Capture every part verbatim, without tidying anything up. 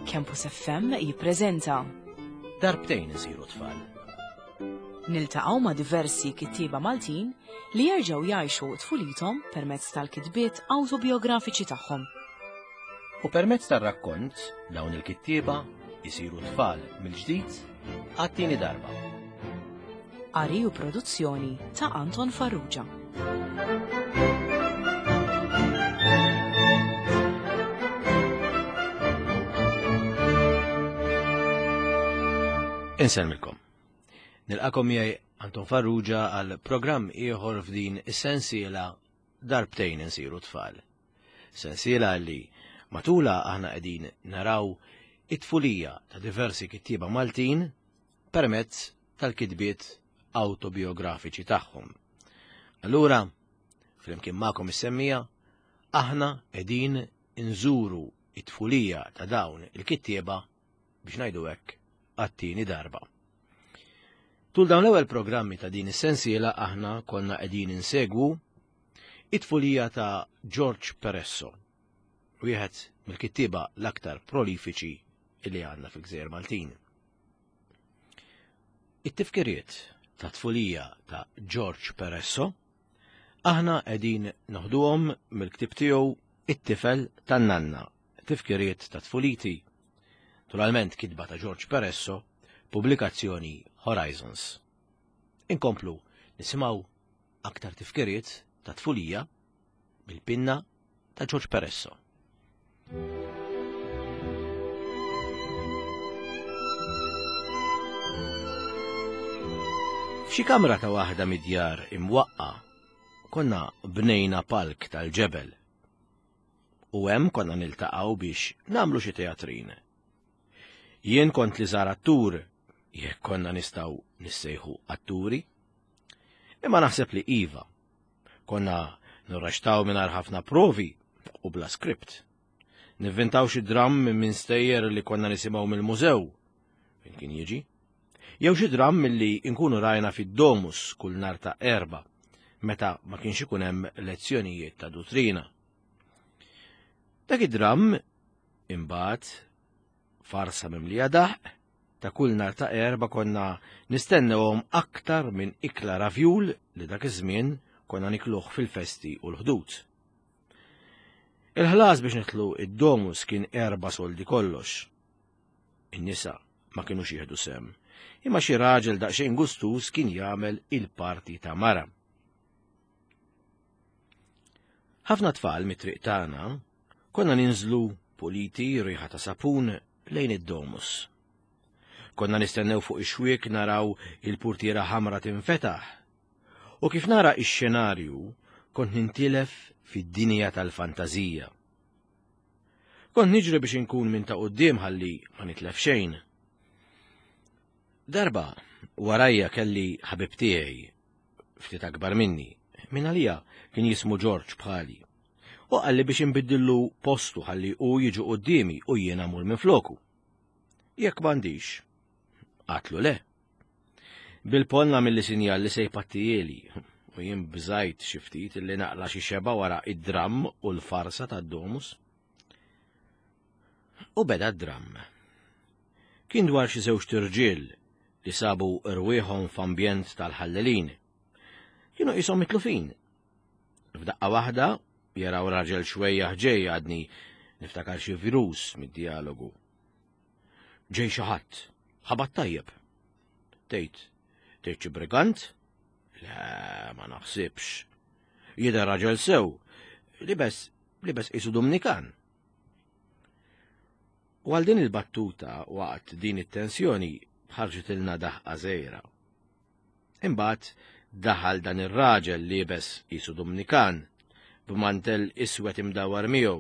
Campus F M jippreżenta Darbtejn isiru tfal. Niltaqgħu ma' diversi kittieba Maltin li jerġgħu jgħixu tfulithom permezz tal-kitbiet awtobiografiċi tagħhom. U permezz tar-rakkont dawn il-kittieba jisiru tfal mill-ġdid għat-tieni darba. Qari u produzzjoni ta' Anton Farrugia. Insellmilkom. Nilqakom miegħi Anton Farrugia għal programm ieħor f'din is-sensiela Darbtejn insiru tfal. Sensiela li matula aħna qegħdin naraw it-tfulija ta' diversi kittieba Maltin permezz tal-kitbiet autobiografiċi tagħhom. Allura, flimkien magħkom is-semmija, aħna qegħdin inżuru it-tfulija ta' dawn il-kittieba biex ngħidu hekk għat-tieni darba. Tul dawn l-ewwel programmi ta' din is-sensiela aħna konna qegħdin insegwu it-tfulija ta' George Peresso, wieħed mill-kittieba l-aktar prolifiċi li għandna fil-Gżejjer Maltin. It-tifkiriet ta' tfulija ta' George Peresso aħna qegħdin noħduhom mill-ktieb tiegħu It-tifel tan-nanna, tifkiriet ta' tfuliti. Naturalment kitba ta' George Peresso, pubblikazzjoni Horizons. Inkomplu nisimgħu aktar tifkiriet ta' tfulija bil-pinna ta' George Peresso. F'xi kamra ta' waħda mid-djar imwaqqa konna bnejna palk tal-ġebel. U hemm konna niltaqgħu biex nagħmlu xi teatrin. Jien kont li żar attur, jekk konna nistgħu nissejħu atturi, imma naħseb li iva. Konna nirrextaw mingħajr ħafna provi u bla skript. Nivvintaw xi dramm minn stejjer li konna nisimgħu mill-mużew, fejn kien jiġi, jew xi dramm milli nkunu rajna fid-domus kull nhar ta' erba, meta ma kienx ikun hemm lezzjonijiet ta' duttrina. Dak id-dramm imbagħad farsa mimlija daħq ta' kull nhar ta' erba konna nistennewhom aktar minn ikla ravjul li dak iż-żmien konna nikluh fil-festi u l-ħdud. Il-ħlas biex nidħlu id-domus kien erba' soldi kollox. In-nisa ma kinux jieħdu sehem, imma xi raġel daqsxejn gustuż kien jagħmel il-parti ta' mara. Ħafna tfal mit-triq tagħna konna ninżlu puliti riħa ta' sapun lejn id-domus. Konna nistennew fuq ix-xwiek naraw il-purtiera ħamra tinfetaħ. U kif nara ix-xenarju kont nintilef fid-dinja tal-fantażija. Kont niġri biex inkun minn ta' quddiem ħalli ma nitlef xejn. Darba warajja kelli ħabib tiegħi ftit akbar minni, minn għalija kien jismu George bħali. U qalli biex inbiddillu postu ħalli hu jiġu quddiemi u jiena mmur minn floku. Jekk m'għandix, għatlu le. Bil-polna milli sinjal li se jpattijieli, u jien bżajt xi ftit li naqla xi xeba wara id-dramm u l-farsa tad-domus. U beda d-dramm. Kien dwar xi żewġ irġiel li sabu rwieħhom f'ambjent tal-ħallelin. Kienu qishom mitlufin. F'daqqa waħda jaraw raġel xwejjaħ ġej għadni niftakar xi virus mid-dialogu. Ġej xi ħadd, ħabat tajjeb. Tgħid, tgħid xi brigant? Le, ma naħsibx. Jidher raġel sew, libes, libes qisu Dominikan. U għal din il-battuta waqt din it-tensjoni ħarġet ilna daħqa żgħira. Imbagħad daħal dan ir-raġel libes qisu Dominikan b'mantel iswed imdawwar miegħu,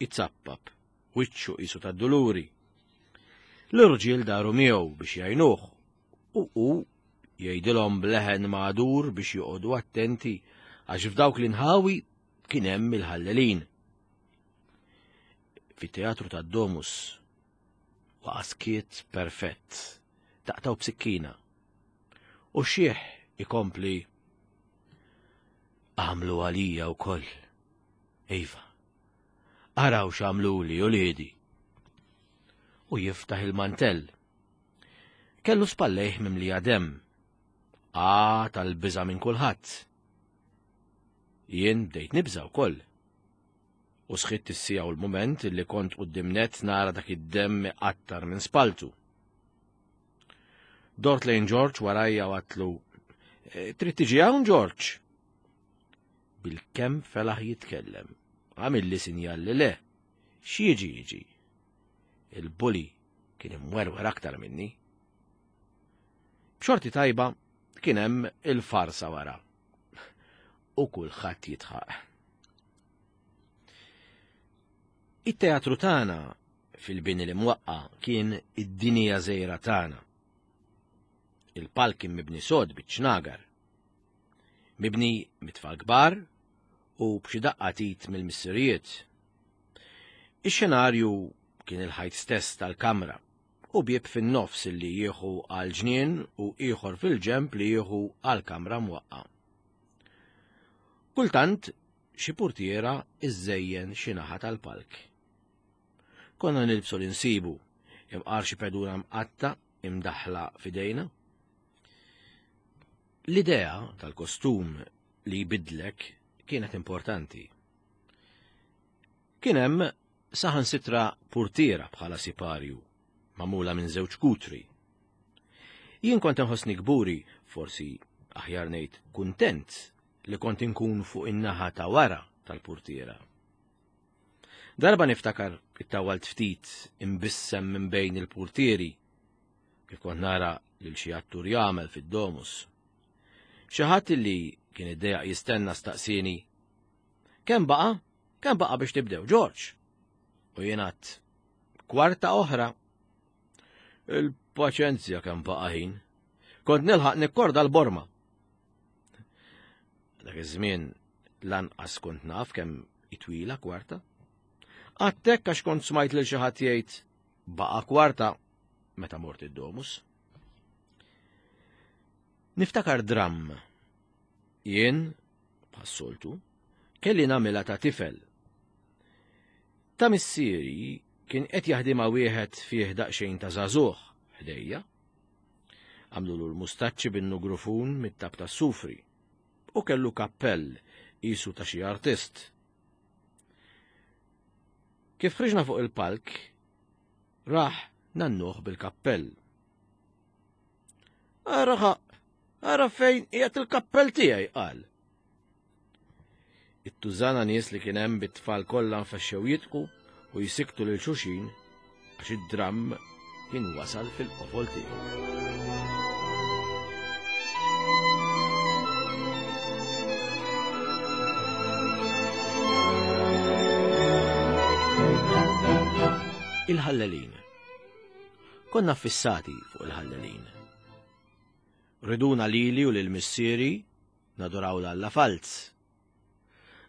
itzappap, wiċċu qisu tad-duluri. L-irġiel daru miegħu biex jgħinuh u hu jgħidilhom bleħen magħdur biex joqogħdu attenti għax f'dawk l-inħawi kien hemm il-ħallelin. Fit-teatru tad-Domus waqa' skiet perfett, taqtaw b'sikkina. U xieħ ikompli għamlu għalija wkoll. Iva, araw x'għamluli uliedi. u jiftaħ il-mantell. Kellu spallejh mimlija demm. Ah, tal-biża' minn kulħadd. Jien bdejt nibża' wkoll. U sħitt is-siegħa u l-mument li kont quddiem nett nara dak id-demm iqattar minn spaltu. Dort lejn George warajja u għedtlu, "Trid tiġi hawn, George?" Bil-kemm felaħ jitkellem. Għamilli sinjal li le. X'jiġi jiġi. Il-bully kien imwerwer aktar minni. B'xorti tajba kien hemm il-farsa wara. U kulħadd jitħaq. It-teatru tagħna fil-bini li mwaqqa kien id-dinja żgħira tagħna. Il-palk kien mibni sod biċ-ċnagar. Mibni mit-tfal kbar u b'xi daqqa tit mill-missirijiet. Ix-xenarju kien il-ħajt stess tal-kamra u bieb fin-nofs li jieħu għal ġnien u ieħor fil-ġemp li jieħu għal kamra mwaqqa. Kultant xi portiera iżżejjen xi naħa tal-palk. Konna nilbsu l-insibu, imqar xi pedura mqatta imdaħla f'idejna. L-idea tal-kostum li jbidlek kienet importanti. Kien hemm saħansitra portiera bħala siparju, magħmula minn żewġ kutri. Jien kont inħossni kburi, forsi aħjar ngħid kuntent, li kont inkun fuq in-naħa ta' wara tal-portiera. Darba niftakar ittawalt ftit imbissem minn bejn il-portieri, kif kont nara lil xi attur jagħmel fid-domus. Xi ħadd li kien iddejjaq jistenna staqsieni, "Kemm baqa'? Kemm baqa' biex tibdew, George?" U jien għedt, "Kwarta oħra." Il-paċenzja kemm baqa' ħin. Kont nilħaq nikkorda l-borma. Dak iż-żmien lanqas kont naf kemm itwila kwarta. Għattek għax kont smajt lil xi ħadd jgħid baqa' kwarta meta mort id-domus. Niftakar dramm. Jien, bħas-soltu, kelli nagħmilha ta' tifel. Ta' missieri kien qed jaħdimha wieħed fih daqsxejn ta' żagħżugħ ħdejja. Għamlulu l-mustaċċi bin-nugrufun mit-tab tas-sufri u kellu kappell qisu ta' xi artist. Kif ħriġna fuq il-palk, raħ nannuh bil-kappell. "Ara, ara fejn qiegħed il-kappell tiegħi," qal. It-tużana nies li kien hemm bit-tfal kollha nfexxew jitqu u jisiktu lil xulxin għax id-dramm kien wasal fil-qofol tiegħu. Il-ħallelin. Konna fissati fuq il-ħallelin. Riduna lili u lil missieri naduraw l-alla falz.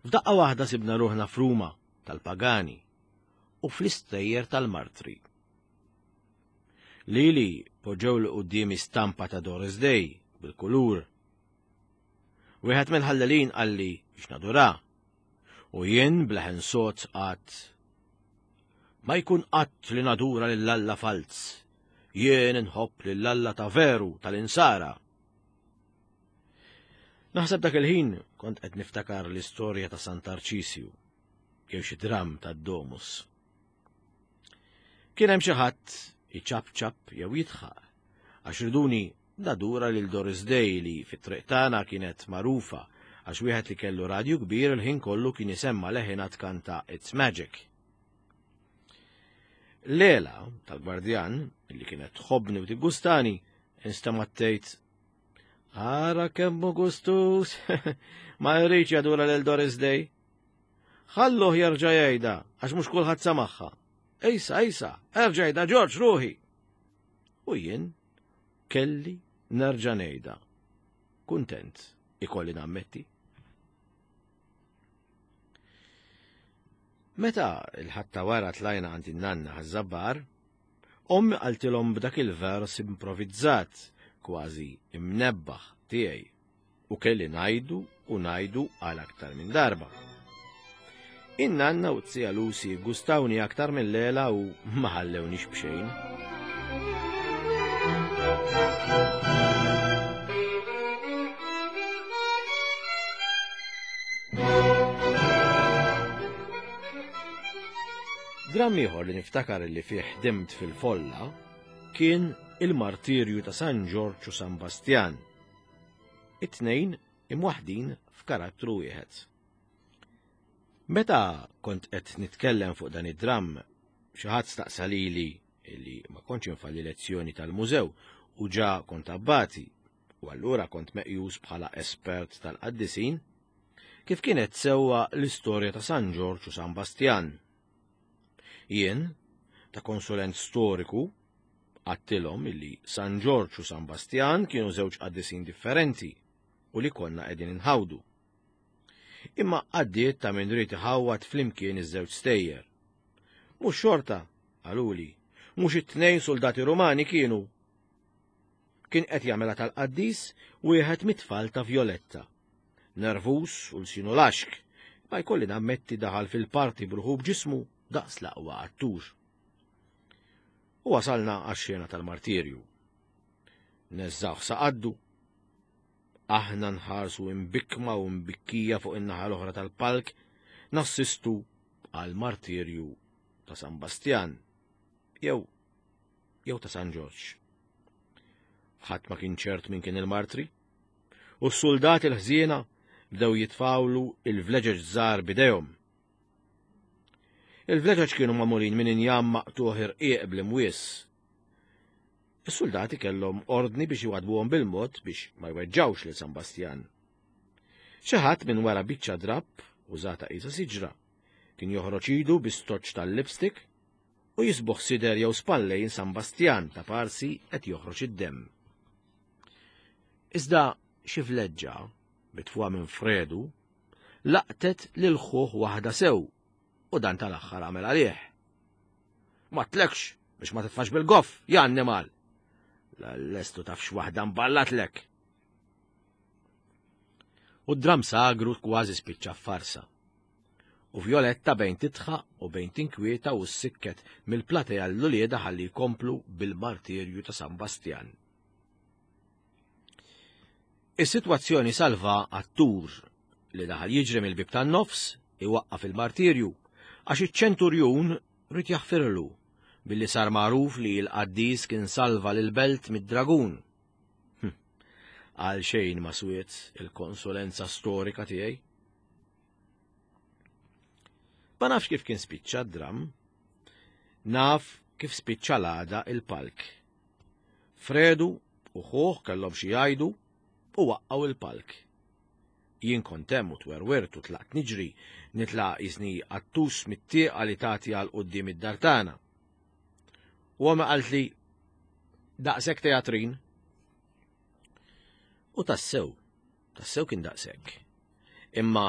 F'daqqa waħda sibna ruħna f'Ruma tal-pagani u fl-istejjer tal-martri. Lili poġġew li quddiemi stampa ta' Doris Day bil-kulur. Wieħed mill-ħallelin qalli biex nadura u jien bleħen sod qatt, "Ma jkun qatt li nadura lill-alla falz, jien inħobb lill-alla ta' veru tal-insara." Naħseb dak il-ħin kont qed niftakar l-istorja ta' Sant'Arċisju jew xi dramm tad-domus. Kien hemm xi ħadd iċapċap jew jidħaq għax riduni nadura lil Doris Day li fit-triq tagħna kienet magħrufa għax wieħed li kellu radju kbir il-ħin kollu kien isemma leħinha tkanta It's Magic. Lela tal-gwardjan li kienet tħobbni u tiggustani instemgħet tgħid, "Ara kemm hu gustus, ma jridx jadura lil Doris Day. Ħalluh jerġa' jgħidha għax mhux kulħadd samaħħa. Ejsa, ejsa, erġa' jgħidha George ruħi." U jien kelli nerġa' ngħidha. Kuntent ikolli nammetti. Meta il-ħadd ta' wara tlajna għand in-nanna ħaż-żabbar, ommi qaltilhom b'dak il-vers improvizzat, kważi imnebbaħ tiegħi, u kelli ngħidu u ngħidu għal aktar minn darba. In-nanna u t-zija Lucy gustawni aktar mill-lela u ma ħallewniex b'xejn. Dramm ieħor li niftakar li fih ħdimt fil-folla kien il-martirju ta' San Ġorġ u San Bastjan. It-tnejn imwaħdin f'karattru wieħed. Meta kont qed nitkellem fuq dan id-dramm, xi ħadd staqsa lili li ma kontx infalli lezzjoni tal-mużew u ġa kont abbati, u allura kont meqjus bħala espert tal-qaddisin, kif kienet sewwa l-istorja ta' San Ġorġ u San Bastjan. Jien, ta' konsulent storiku, għattilhom illi San Ġorġ u San Bastjan kienu żewġ qaddisin differenti u li konna qegħdin inħawdu. Imma għaddiet ta' min ried iħawwad flimkien iż-żewġ stejjer. Mhux xorta, qaluli, mhux it-tnejn soldati Rumani kienu. Kien qed jagħmilha tal-qaddis wieħed mit-tfal ta' Violetta. Nervus u lsinu laxk, ma jkolli nammetti daħal fil-parti bruħu b'ġismu daqs l-aqwa attur. U wasalna għax-xena tal-martirju. Neżżawh sa qaddu. Aħna nħarsu imbikma u mbikkija fuq in-naħa l-oħra tal-palk, nassistu għal martirju ta' San Bastjan, jew jew ta' San Ġorġ. Ħadd ma kien ċert min kien il-martri, u s-soldati l-ħżiena bdew jitfawlu il-vleġeġ żgħar bidejhom. Il-vleġeġ kienu magħmulin minn injam maqtuħ irqiq bl-imwies. Is-soldati kellhom ordni biex iwadbuhom bil-mod biex ma jweġġawx lil San Bastjan. Xi ħadd minn wara biċċa drapp użata qisha siġra kien joħroġ idu bi stoċċ tal-lipstick u jisbuħ sider jew spallejn San Bastjan ta' parsi qed joħroġ id-demm. Iżda xi vleġġa mitfuha minn Fredu laqtet lil ħuh waħda sew u dan tal-aħħar għamel għalih. Ma tlekx biex ma titfax bil-goff, ja annimal. L-lestu tafx waħda mballatlek. U d-dram sagru kważi spiċċa farsa. U Violetta bejn titħaq u bejn tinkwieta u s-sikket mill-platea l-ulieda ħalli jkomplu bil-martirju ta' San Bastjan. Is-sitwazzjoni salva attur li daħal jiġri mill-bib tan-nofs iwaqqaf il-martirju għax iċ-ċenturjun rid jaħfirlu billi sar magħruf li l-qaddis kien salva lil-belt mid-dragun. Hm. Għal xejn ma swiet il-konsulenza storika tiegħi. Ma nafx kif kien spiċċa d-dram, naf kif spiċċa l-għada il-palk. Fredu u ħuh kellhom xi jgħidu u waqqgħu il-palk. Jien kont hemm u twerwert u tlaqt niġri, nitlaq jisni qattus mit-tieqa li tagħti għal quddiem id-dar tagħna. U għama qaltli daqshekk teatrin. U tassew, tassew kien daqshekk. Imma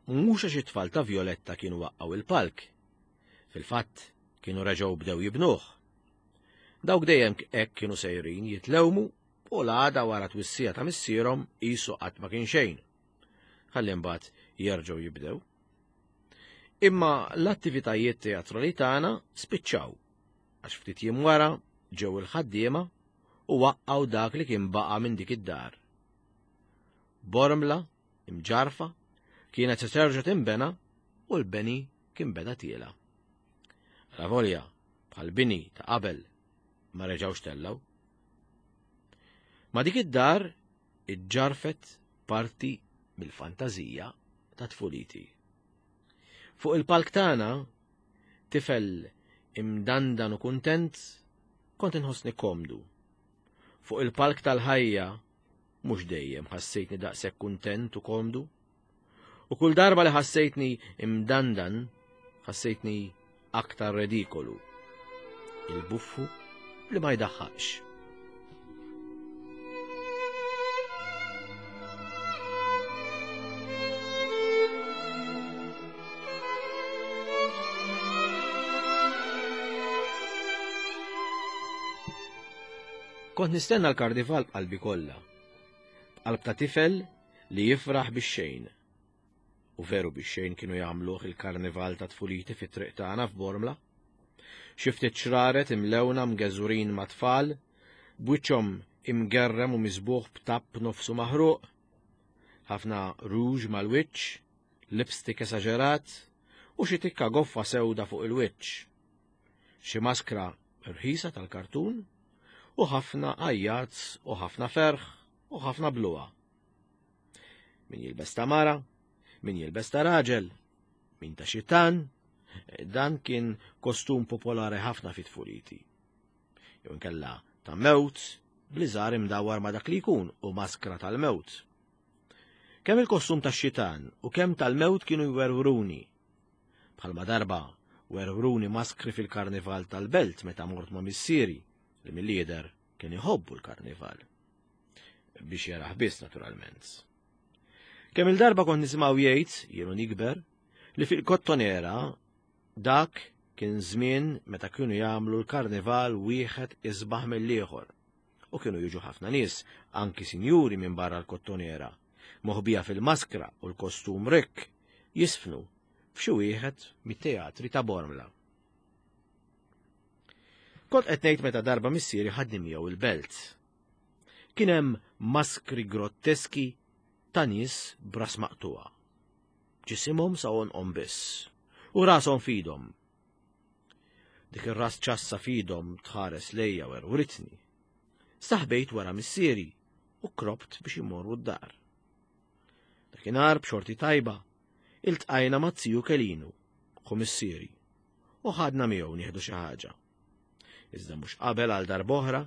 mhux għax it-tfal ta' Violetta kienu waqqgħu il-palk. Fil-fatt kienu reġgħu bdew jibnuh. Dawk dejjem hekk kienu sejrin jitlewmu u l-għada wara twissija ta' missierhom qisu qatt ma kien xejn. Ħalli mbagħad jerġgħu jibdew. Imma l-attivitajiet teatrali tagħna spiċċaw għax ftit jiem wara ġew il-ħaddiema u waqqgħu dak li kien baqa' minn dik id-dar. Bormla, imġarfa, kienet se terġa' tinbena u l-beni kien beda tiela. Ravolja, bħal bini ta' qabel, ma reġgħux tellgħu. Ma dik id-dar iġġarfet parti mill-fantażija ta' tfuliti. Fuq il-palk tagħna, tifel imdandan u kuntent, kont inħossni komdu. Fuq il-palk tal-ħajja, mhux dejjem ħassejtni daqshekk kuntent u komdu. U kull darba li ħassejtni imdandan, ħassejtni aktar redikolu. Il-buffu li ma jdaħħaqx. Kont nistenna l-karnival b'qalbi kollha, b'qalb ta' tifel li jifraħ bix-xejn. U U veru biex xejn kienu jagħmluh il-karnival ta' tfuliti fit-triq tagħna f'Bormla. Xi ftit xraret imlewna mgeżurin ma' tfal, b'wiċċhom imgerrem u miżbuħ b'tapp nofsu maħruq, ħafna rouge mal-wiċċ, lipstick esaġerat u xi tikka goffa sewda fuq il-wiċċ. Xi maskra rħisa tal-kartun u ħafna għajjat u ħafna ferħ u ħafna bluha. Min jilbes ta' mara, min jilbes ta' raġel, min ta' xitan, dan kien kostum popolari ħafna fit tfuliti. Jew inkella ta' mewt, bliżar imdawwar ma' dak li jkun u maskra tal-mewt. Kemm il-kostum tax-xitan u kemm tal-mewt kienu jwerwruni. Bħalma darba werwruni maskri fil-karnival tal-belt meta mort ma' missieri li mill-lider kien iħobbu l-karnival. Biex jaraħ biss naturalment. Kemm il-darba kont nisimgħu jgħid, jienu nikber, li fil-Kottonera dak kien żmien meta kienu jagħmlu l-karnival wieħed isbaħ mill-ieħor. U kienu jiġu ħafna nies, anki sinjuri minn barra l-Kottonera, moħbija fil-maskra u l-kostum rikk, jisfnu f'xi wieħed mit-teatri ta' Bormla. Kont qed ngħid meta darba missieri ħadni miegħu il-belt. Kien hemm maskri grotteski ta' nies b'ras maqtuha. Ġisimhom sa għonqhom biss u rashom f'idhom. Dik ir-ras ċassa f'idhom tħares lejja werwritni. Staħbejt wara missieri u krobt biex imorru d-dar. Dakinhar b'xorti tajba, iltqajna ma' ziju Kelinu, ħu missieri, u ħadna miegħu nieħdu xi ħaġa. Iżda mhux qabel għal darb'oħra,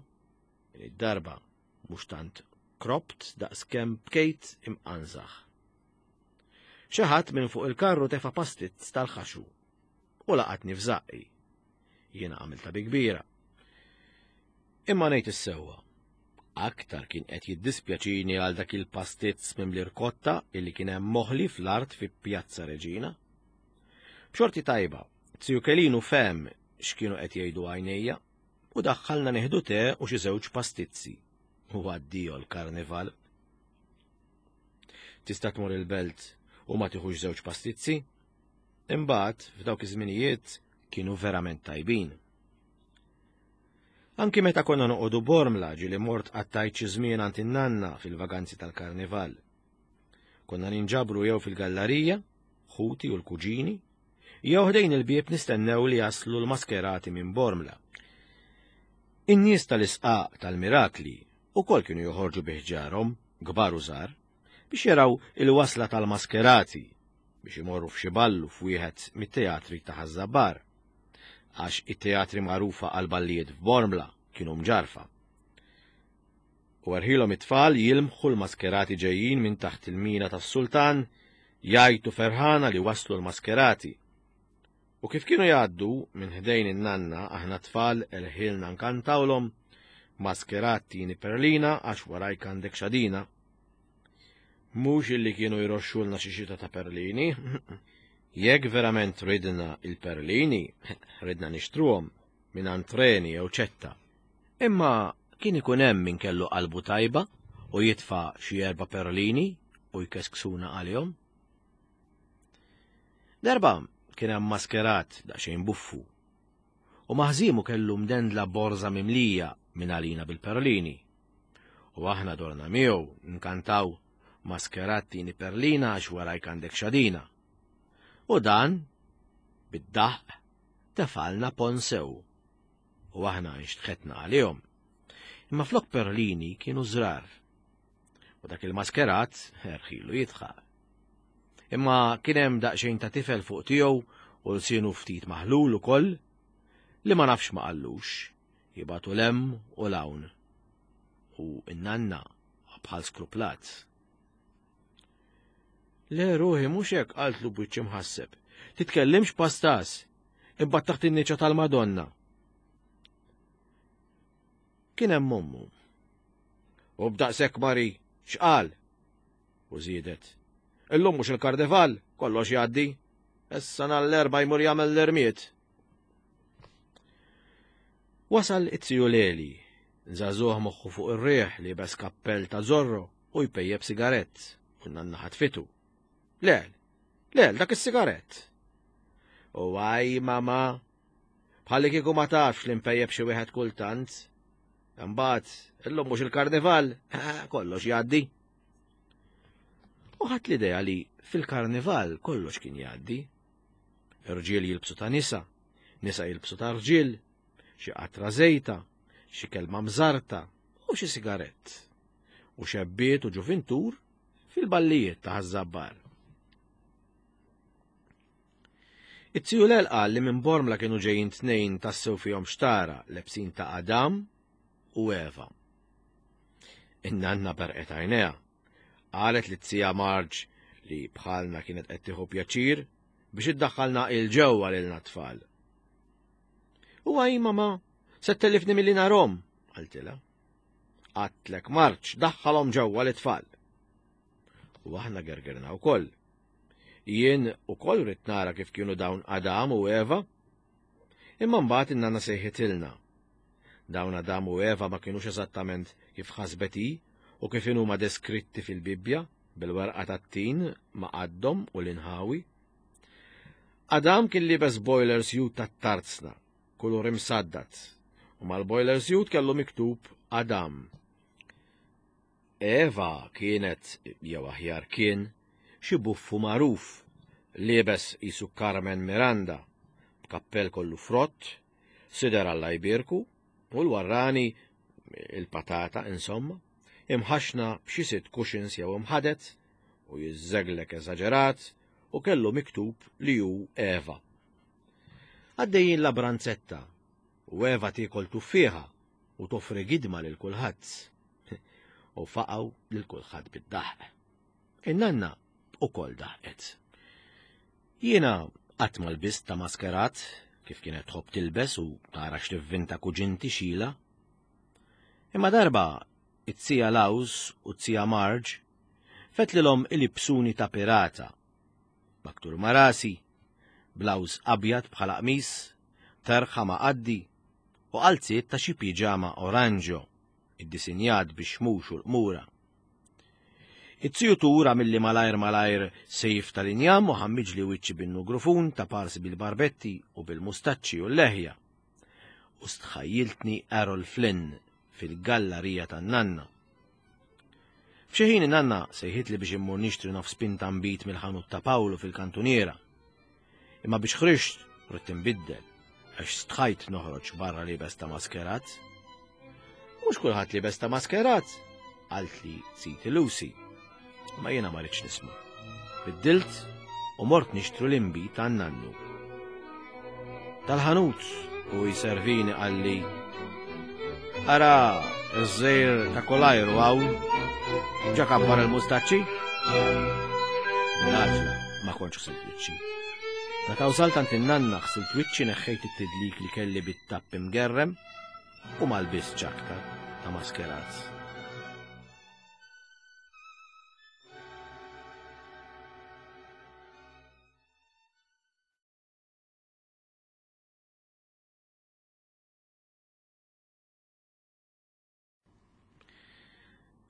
din id-darba mhux tant krobt daqskemm bkejt imqanżaħ. Xi ħadd minn fuq il-karru tefa' pastizz tal-ħaxu u laqatni f'żaqqi. Jiena għamilta bi kbira. Imma ngħid is-sewwa. Aktar kien qed jiddispjaċini għal dak il-pastizz mimli rkotta illi kien hemm moħli fl-art fi Pjazza Reġina. B'xorti tajba, ziju Kelinu fehem x'kienu qed jgħidu għajnejja u daħħalna nieħdu te u xi żewġ pastizzi. U addio l-karnival. Tista' tmur il-belt u ma tieħux żewġ pastizzi? Imbagħad f'dawk iż-żminijiet kienu verament tajbin. Anki meta konna noqogħdu Bormla ġieli mort qattajt xi żmien għand in-nanna fil-vaganzi tal-karnival. Konna ninġabru jew fil-gallerija, ħuti u l-kuġini, jew ħdejn il-bieb nistennew li jaslu l-maskerati minn Bormla. In-nies tal-isqaq tal-mirakli ukoll kienu joħorġu bi ħġarhom, kbar u żgħar, biex jaraw il-wasla tal-maskerati biex imorru f'xi ballu f'wieħed mit-teatri ta' Ħaż-Żabbar, għax it-teatri magħrufa għal ballijiet f'Bormla kienu mġarfa. U erħilhom it-tfal jilmħu l-maskerati ġejjin minn taħt il-mina tas-sultan, jgħajtu ferħana li waslu l-maskerati. U kif kienu jgħaddu minn ħdejn in-nanna aħna tfal erħilna nkantawlhom maskerat tini perlina għax warajk għandek xadina. Mhux illi kienu jroxxulna xi xita ta' perlini. Jekk verament ridna il-perlini, ridna nixtruhom minn antreni jew ċetta. Imma kien ikun hemm min kellu qalbu tajba u jitfa' xi erba' perlini u jkesksuna għalihom. Darba kien hemm maskerat daqsxejn buffu u maħżimu kellu mdendla borża mimlija minn għalina bil-perlini. U aħna dorna miegħu nkantaw maskerat tini perlina għax warajk għandek xadina. U dan, bid-daħq, tefalna ponsew. U aħna nxtħetna għalihom. Imma flok perlini kienu żrar. U dak il-maskerat erħilu jidħaq. Imma kien hemm daqsxejn ta' tifel fuq tiegħu u lsienu ftit maħlul ukoll li ma nafx ma qallux, jibatu lem u lawn. U n-nanna bħal skruplat. Le ruħi mhux hekk qaltlu b'wiċċ imħasseb. Titkellimx pastas, imbagħad taħt in-niċċa tal-Madonna. Kien hemm ommu. U b'daqshekk Mari, x'qal? U żiedet. Illum mhux il-karnival, kollox jgħaddi. Issa nhar l-Erbgħa jmur jagħmel l-irmied. Wasal it-tiju Leli, żagħżugħ moħħu fuq ir-riħ li bes kappell ta' Zorro u jpejjeb sigarett, u n-nanna ħatfitu. Le, Le, dak is-sigarett. U għaj, mama, bħalli kieku ma tafx li mpejjeb xi wieħed kultant. Imbagħad, illum mhux il-karnival, kollox jgħaddi. U ħadt l-idea li fil-karnival kollox kien jgħaddi. Irġiel jilbsu ta' nisa, nisa jilbsu ta' rġiel, xi qatra żejta, xi kelma mżarta u xi sigarett. U xebbiet u ġuvintur fil-ballijiet ta' Ħaż-Żabbar. It-tiju Lel qal li minn Bormla kienu ġejjin tnejn tassew fihom xtara lebsin ta' Adam u Eva. In-nanna berqet għajnejha. Qalet li t-tija Marġ li bħalna kienet qed tieħu pjaċir biex iddaħħalna il-ġewwa lilna tfal. U għaj mama, se tellifni milli narhom, qaltilha. Għatlek Marġ, daħħalhom ġewwa l-tfal. U aħna gergerna wkoll. Jien ukoll rrid nara kif kienu dawn Adam u Eva. Imma mbagħad in-nanna sejħitilna. Dawn Adam u Eva ma kienux eżattament kif ħasbet hi u kif huma deskritti fil-Bibbja bil-werqa tat-tin ma' qaddhom u l-inħawi. Adam kien libes boiler suit tat-tarzna, kulur imsaddat, u mal-boiler suit kellu miktub Adam. Eva kienet, jew aħjar kien, xi buffu magħruf, liebes qisu Carmen Miranda, b'kappell kollu frott, sider Alla jbierku, u l-warrani, il-patata, insomma, imħaxna b'xi sitt cushions jew imħadet, u jiżżeglek eżaġerat, u kellu miktub li hu Eva. Għaddejjin la branzetta, u Eva tiekol tuffieħa u toffri gidma lil kulħadd. U faqgħu lil kulħadd bid-daħq. In-nanna ukoll daħqet. Jiena qatt ma lbist ta' maskerat kif kienet tħobb tilbes u tara x'tivvinta kuġinti xila. Imma darba it-tija Laws u t-tija Marġ fetlilhom ilibsuni ta' pirata. Maktur ma' rasi, blawż abjad bħala qmis, terħa ma' qaddi u qalziet ta' xi piġama oranġo, iddisinjat biex mhux u l-qmura. It-tiju tura milli malajr malajr sejf tal-injam u ħammiġli wiċċi bin-nugrufun ta' parsi bil-barbetti u bil-mustaċċi u l-leħja. U stħajjiltni Errol Flynn fil-gallarija tan-nanna. F'xi ħin in-nanna sejħitli biex immur nixtri nofs pinta nbid mill-ħanut ta' Pawlu fil-kantuniera. Imma biex ħriġt ridt inbiddel għax stħajt noħroġ barra libes ta' maskerat. Mhux kulħadd libes ta' maskerat, qaltli siti Lucy. Ma jiena ma rridx nisma'. Biddilt u mort nixtru l-inbid tan-nannu. Tal-ħanut u jservini qalli, ara iż-żejr ta' kolajru hawn, ġa kabbar il-mustaċċi. L-għaġla ma kontx ħsilt wiċċi. Meta wsalt għand in-nanna ħsilt wiċċi, neħħejt it-tidlik li kelli bit-tapp imgerrem u ma lbistx aktar ta' maskerat.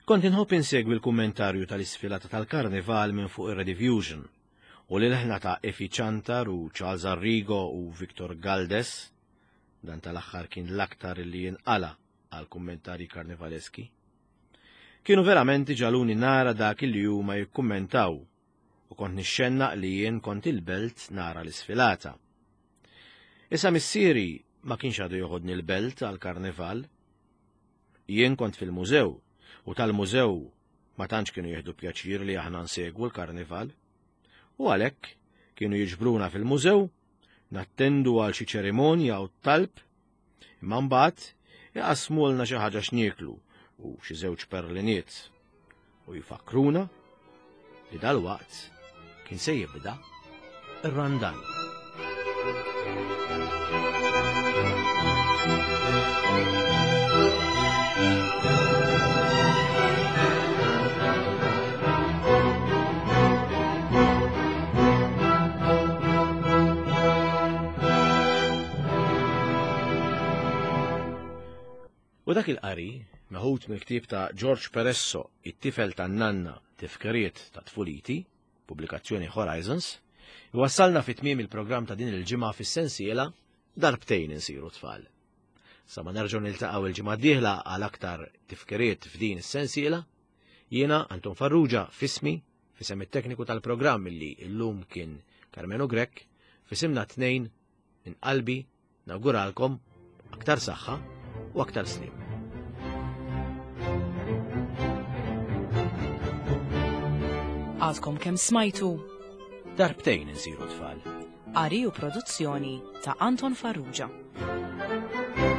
Kont inħobb insegwi l-kummentarju tal-isfilata tal-Karnival minn fuq ir-Rediffusion u l-ħna ta' Efi Ciantar u Charles Arrigo u Victor Galdes, dan tal-aħħar kien l-aktar li jinqala għal kummentarji karnivaleski. Kienu verament ġaluni nara dak li huma jikkummentaw u kont nixxennaq li jien kont il-belt nara l-isfilata. Issa missieri ma kienx għadu joħodni l-belt għal karnival. Jien kont fil-mużew u tal-mużew ma tantx kienu jieħdu pjaċir li aħna nsegwu l-karnival. U għalhekk kienu jiġbruna fil-mużew, nattendu għal xi ċerimonja u talb, imma mbagħad iqasmulna xi ħaġa x'nieklu u xi żewġ perliniet u jfakkruna li dalwaqt kien se jibda ir-Randan. U dak il-qari, meħud mill-ktieb ta' George Peresso, It-tifel tan-nanna, tifkiriet ta' tfuliti, pubblikazzjoni Horizons, Iwassalna fi tmiem il-programm ta' din il-ġimgħa fis-sensiela Darbtejn insiru tfal. Sa ma nerġgħu niltaqgħu il-ġimgħa d-dieħla għal aktar tifkiriet f'din is-sensiela, jiena Anton Farrugia f'ismi, f'isem it-tekniku tal-programm li llum kien Karmenu Grech, f'isimna tnejn minn qalbi nawguralkom aktar saħħa u aktar sliem. Għadkom kemm smajtu Darbtejn insiru tfal. Qari u produzzjoni ta' Anton Farrugia. Thank